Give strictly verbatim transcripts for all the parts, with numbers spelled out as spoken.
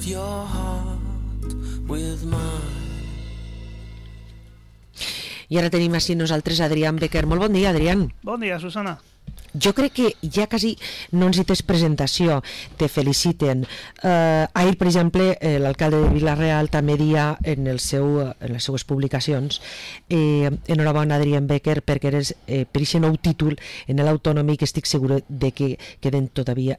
your heart with mine. I ara tenim així nosaltres Adrián Becker. Molt bon dia, Adrián. Bon dia, Susana. Jo crec que ja quasi no necessites presentació, te feliciten. Eh, ahir, per exemple, eh, l'alcalde de Vila-real també dia en, el seu, en les seues publicacions eh, enhorabona, Adrián Becker, perquè eres eh, per aquest nou títol en l'autonòmic. Estic segur de que queden todavía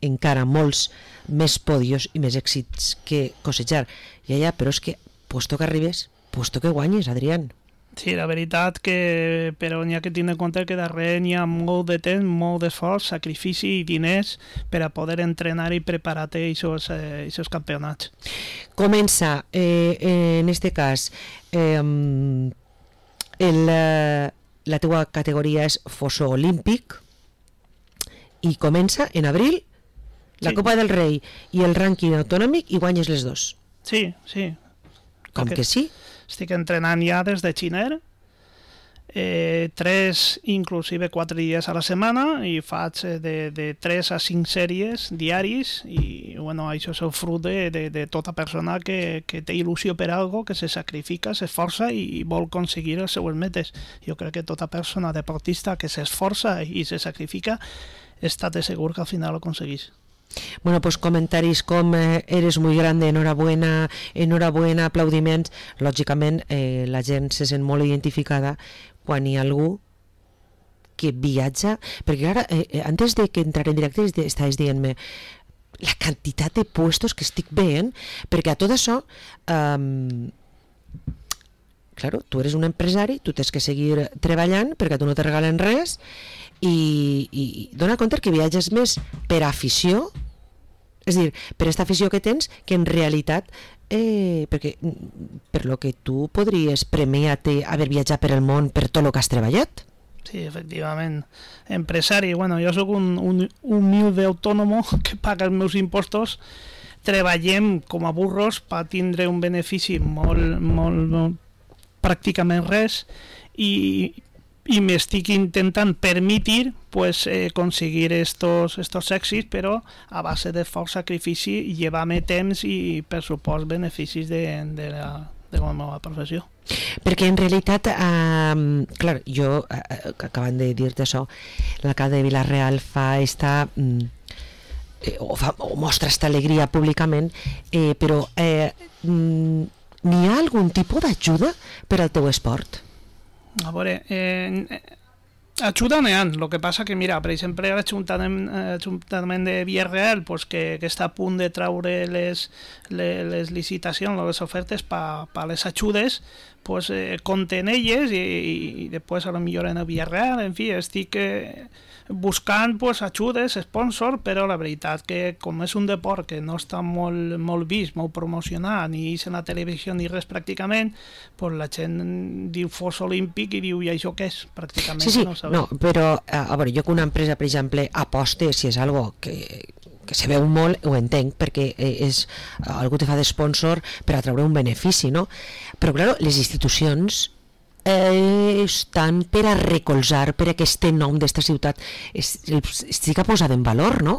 encara molts més podios i més èxits que cosejar. Ja, ja, però és que, puesto que arribes, puesto que guanyes, Adrián. Sí, la veritat que, però n'hi ha que tenir en compte que darrere n'hi ha molt de temps, molt d'esforç, sacrifici i diners per a poder entrenar i preparar-te aquests eh, campionats. Comença, eh, en este cas, eh, el, la teua categoria és fosso olímpic i comença en abril la sí. Copa del Rei i el rànquing autonòmic i guanyes les dos. Sí, sí. Com que, que sí? Estic entrenant ja des de Xiner, eh, tres, inclusive quatre dies a la setmana, i faig de, de tres a cinc sèries diaris, i bueno, això és el fruit de, de, de tota persona que, que té il·lusió per algo, que se sacrifica, s'esforça i vol aconseguir les seues metes. Jo crec que tota persona deportista que s'esforça i se sacrifica, estate segur que al final ho aconseguís. Bueno, pues comentaris com eh, eres muy grande, enhorabuena, enhorabuena, aplaudiments. Lògicament eh, la gent se sent molt identificada quan hi ha algú que viatja, perquè ara, eh, antes de que entrar en directe estaves dient-me la quantitat de puestos que estic veient, perquè a tot això eh, claro, tu eres un empresari, tu tens que seguir treballant perquè tu no te regalen res i, i dona compte que viatges més per afició, és a dir, per aquesta afició que tens, que en realitat eh, perquè per lo que tu podries premiar-te haver viatjat per el món per tot el que has treballat. Sí, efectivament. Empresari, bueno, jo soc un, un humilde autònomo que paga els meus impostos, treballem com a burros per tindre un benefici molt, molt, molt pràcticament res i i m'estic intentant permetre pues, eh, aconseguir estos, estos èxits, però a base de fort sacrifici i llevar-me temps i, per supost, beneficis de, de, la, de la meva professió. Perquè en realitat, eh, clar, jo, eh, acabant de dir-te això, l'alcalde de Vila-real fa esta... Eh, o, fa, o mostra esta alegria públicament, eh, però eh, n'hi ha algun tipus d'ajuda per al teu esport? A veure, eh, ajuda n'hi ha, el que passa que, mira, per exemple, l'Ajuntament de Vila-real, pues, que, que està a punt de traure les, les, les licitacions, les ofertes per pa les ajudes, pues, eh, compten elles i, i, i després a lo millor en el Vila-real, en fi, estic eh, buscant pues, ajudes, sponsor, però la veritat que com és un deport que no està molt, molt vist, molt promocionat, ni és en la televisió ni res pràcticament, pues, la gent diu fos olímpic i diu i això què és? Pràcticament sí, sí, no ho sabem. No, però a veure, jo que una empresa, per exemple, aposte si és algo que, que se veu molt, ho entenc, perquè és algú te fa d'esponsor per a treure un benefici, no? Però, clar, les institucions Eh, estan per a recolzar per aquest nom d'esta ciutat, estic posat en valor, no?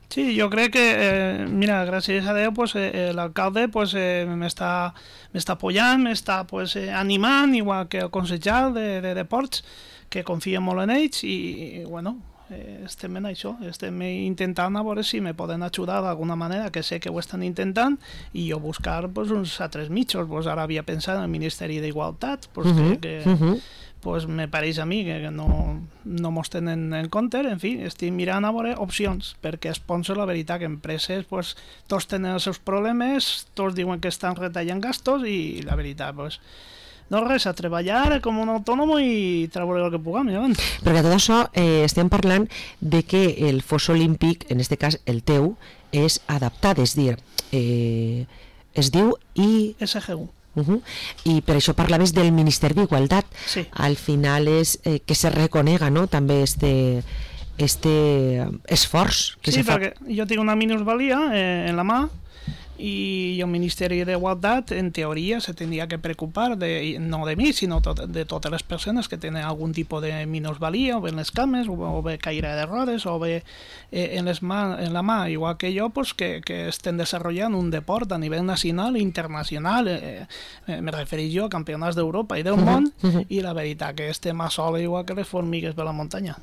Sí, jo crec que, eh, mira, gràcies a Déu, pues, eh, l'alcalde pues, eh, m'està m'està apoyant, m'està pues, eh, animant, igual que el consellal de, de deports, que confia molt en ells i, i bueno, eh, estem en això, estem intentant a veure si me poden ajudar d'alguna manera, que sé que ho estan intentant, i jo buscar pues, uns altres mitjos. Pues, ara havia pensat en el Ministeri d'Igualtat, pues, uh-huh, que, que uh-huh. pues, me pareix a mi que, que no, no mos tenen en compte. En fi, estic mirant a veure opcions, perquè sponsor, la veritat, que empreses pues, tots tenen els seus problemes, tots diuen que estan retallant gastos i la veritat, pues, no res, a treballar com un autònom i treure el que puguem. Ja. Perquè tot això eh, estem parlant de que el fos olímpic, en aquest cas el teu, és adaptat, és dir, eh, es diu I... S G U. Uh-huh. I per això parlaves del Ministeri d'Igualtat. Sí. Al final és eh, que se reconega, no?, també este, este esforç que sí, se fa. Sí, perquè jo tinc una minusvalia eh, en la mà y el Ministerio de Igualdad en teoría se tendría que preocupar de, no de mí, sino to de todas las personas que tienen algún tipo de minusvalía, o bé en les cames, o, o bé caire d'errores, o bé eh, en, les ma en la mà, igual que jo, pues, que, que estén desarrollando un deport a nivell nacional i internacional. Eh, eh, me referís jo a campionats d'Europa i del món, uh -huh. i la veritat que estem a sola igual que les formigues de la muntanya.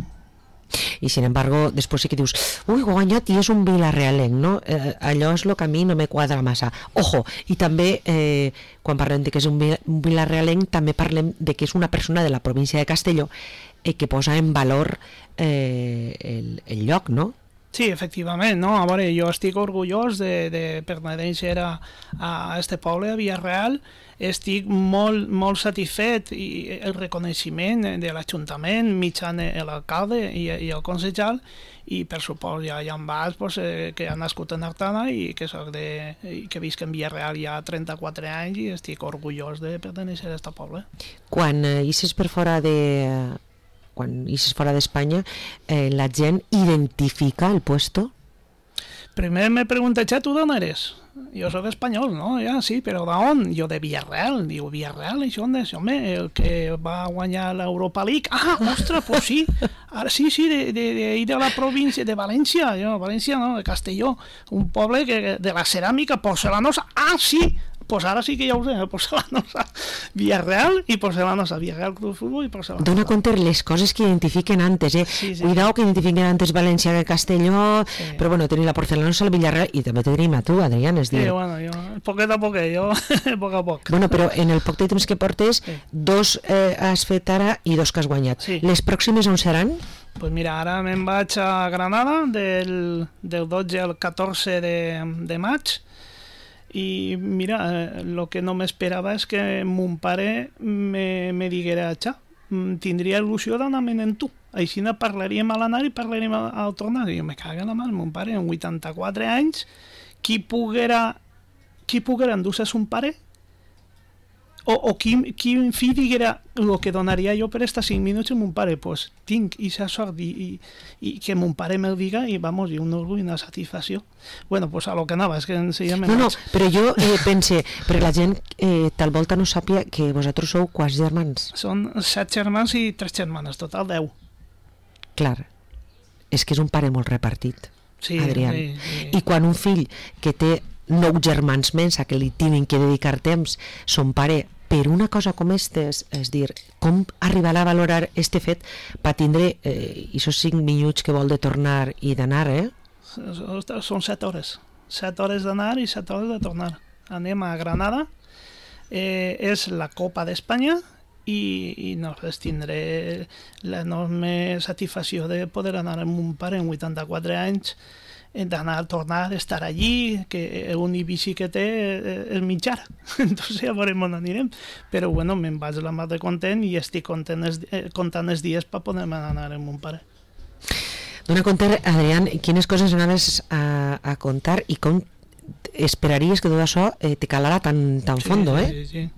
I sin embargo, després sí que dius ui, ho ha guanyat i és un vilarrealenc, no? Eh, allò és el que a mi no me quadra massa. Ojo, i també eh, quan parlem de que és un, un vilarrealenc també parlem de que és una persona de la província de Castelló eh, que posa en valor eh, el, el lloc, no? Sí, efectivament, no? A veure, jo estic orgullós de, de pertenèixer a, a este poble, a Villarreal. Estic molt, molt satisfet i el reconeixement de l'Ajuntament mitjan l'alcalde i, i el concejal, i per supost hi ha, hi ha bars pues, eh, que han nascut en Artana i que, soc de, i que visc en Villarreal ja trenta-quatre anys i estic orgullós de pertenèixer a aquest poble. Quan eh, ixes per fora de... quan ixes fora d'Espanya, eh, la gent identifica el puesto? Primer me pregunté, ¿tú d'on eres? Jo soc espanyol, no? Ja, sí, però d'on? Jo de Villarreal. Diu, Villarreal, això on és? Home, el que va guanyar l'Europa League. Ah, ostres, pues sí. Ara sí, sí, de, de, de, de la província de València. Jo, València, no, de Castelló. Un poble que, de la ceràmica porcelanosa. Ah, sí! Pues ara sí que ja ho sé, porcelanosa Villarreal i porcelanosa, Villarreal Club de Futbol i porcelanosa. Dona compte les coses que identifiquen antes, eh? Sí, sí. Cuidao que identifiquen antes València que Castelló, sí. Però bueno, tenim la porcelanosa, el Villarreal i també tenim a tu, Adrián, és dir... Sí, bueno, jo, poquet a poquet, jo, poc a poc. Bueno, però en el poc de temps que portes, sí. dos eh, has fet ara i dos que has guanyat. Sí. Les pròximes on seran? Pues mira, ara me'n vaig a Granada del, del dotze al catorze de, de maig. I mira, el que no m'esperava és que mon pare me, me diguera, xa, tindria il·lusió d'anar-me'n en tu. Així ne parlaríem a l'anar i parlaríem al tornar. I jo me cago en la mà, mon pare, amb vuitanta-quatre anys, qui poguera, qui poguera endur-se son pare? O, o quin, quin fill diguera el que donaria jo per estar cinc minuts amb mon pare? Pues tinc aquesta sort i, i, i que mon pare me'l diga i vamos, i un orgull i una satisfacció. Bueno, pues a lo que anava, és que senzillament... No, no, però jo eh, pense, perquè la gent eh, tal volta no sàpia que vosaltres sou quants germans? Són set germans i tres germanes, total deu. Clar, és que és un pare molt repartit, sí, Adrián. Sí, sí. I quan un fill que té nou germans menys a que li tenen que dedicar temps, son pare, per una cosa com estes, és dir, com arribarà a valorar este fet per tindre eh, aquests cinc minuts que vol de tornar i d'anar, eh? Són set hores. Set hores d'anar i set hores de tornar. Anem a Granada, eh, és la Copa d'Espanya i, i nosaltres tindré l'enorme satisfacció de poder anar amb un pare amb vuitanta-quatre anys, d'anar a tornar, estar allí, que l'únic bici que té és mitjar. Entonces ja veurem on anirem. Però bueno, me'n vaig la mar de content i estic content els, eh, comptant els dies per poder anar amb mon pare. Dona compte, Adrián, quines coses anaves a, a contar i com esperaries que tot això eh, te calara tan, tan sí, fondo, eh? Sí, sí, sí.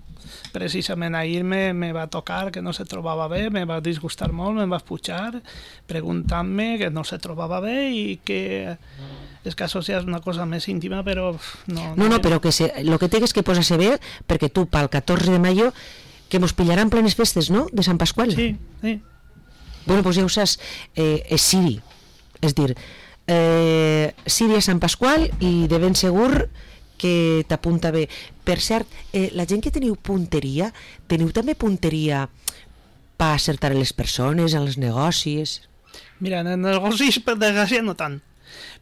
Precisament ahir me, me va tocar que no se trobava bé, me va disgustar molt, me va pujar preguntant-me que no se trobava bé i que és que això és una cosa més íntima, però no... No, no, però que se, lo que té és que posar-se bé, perquè tu pel catorze de mayo que mos pillaran plenes festes, no?, de Sant Pasqual. Sí, sí. Bueno, doncs ja ho saps, eh, és Siri, és dir, eh, Siri a Sant Pasqual i de ben segur que t'apunta bé. Per cert, eh, la gent que teniu punteria, teniu també punteria per acertar les persones, en els negocis? Mira, en els negocis per desgràcia no tant,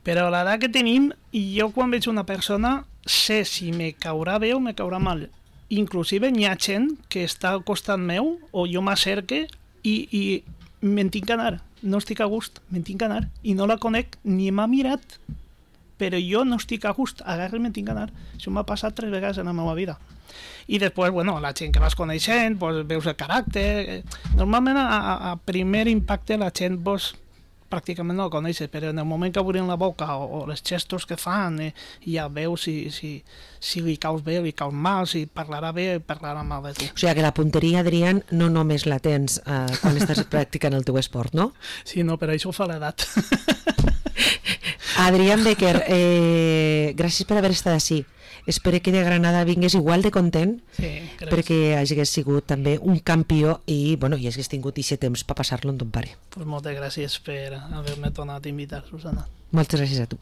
però l'edat que tenim, jo quan veig una persona sé si me caurà bé o me caurà mal. Inclusive n'hi ha gent que està al costat meu o jo m'acerque i, i me'n tinc que anar, no estic a gust, me'n tinc que anar i no la conec ni m'ha mirat, però jo no estic a gust, agarre i me'n tinc que anar. Això m'ha passat tres vegades en la meva vida. I després, bueno, la gent que vas coneixent, pues, veus el caràcter... Normalment, a, a primer impacte, la gent pues, pràcticament no la coneixes, però en el moment que obrin la boca o, o els gestos que fan, eh, ja veus si, si, si li caus bé, li caus mal, si parlarà bé o parlarà mal de tu. O sigui que la punteria, Adrián, no només la tens eh, quan estàs practicant el teu esport, no? Sí, no, però això ho fa l'edat. Adrián Becker, eh, gràcies per haver estat així. Espero que de Granada vingués igual de content, sí, perquè hagis sigut també un campió i, bueno, i hagis tingut aquest temps per passar-lo amb ton pare. Pues moltes gràcies per haver-me tornat a invitar, Susana. Moltes gràcies a tu.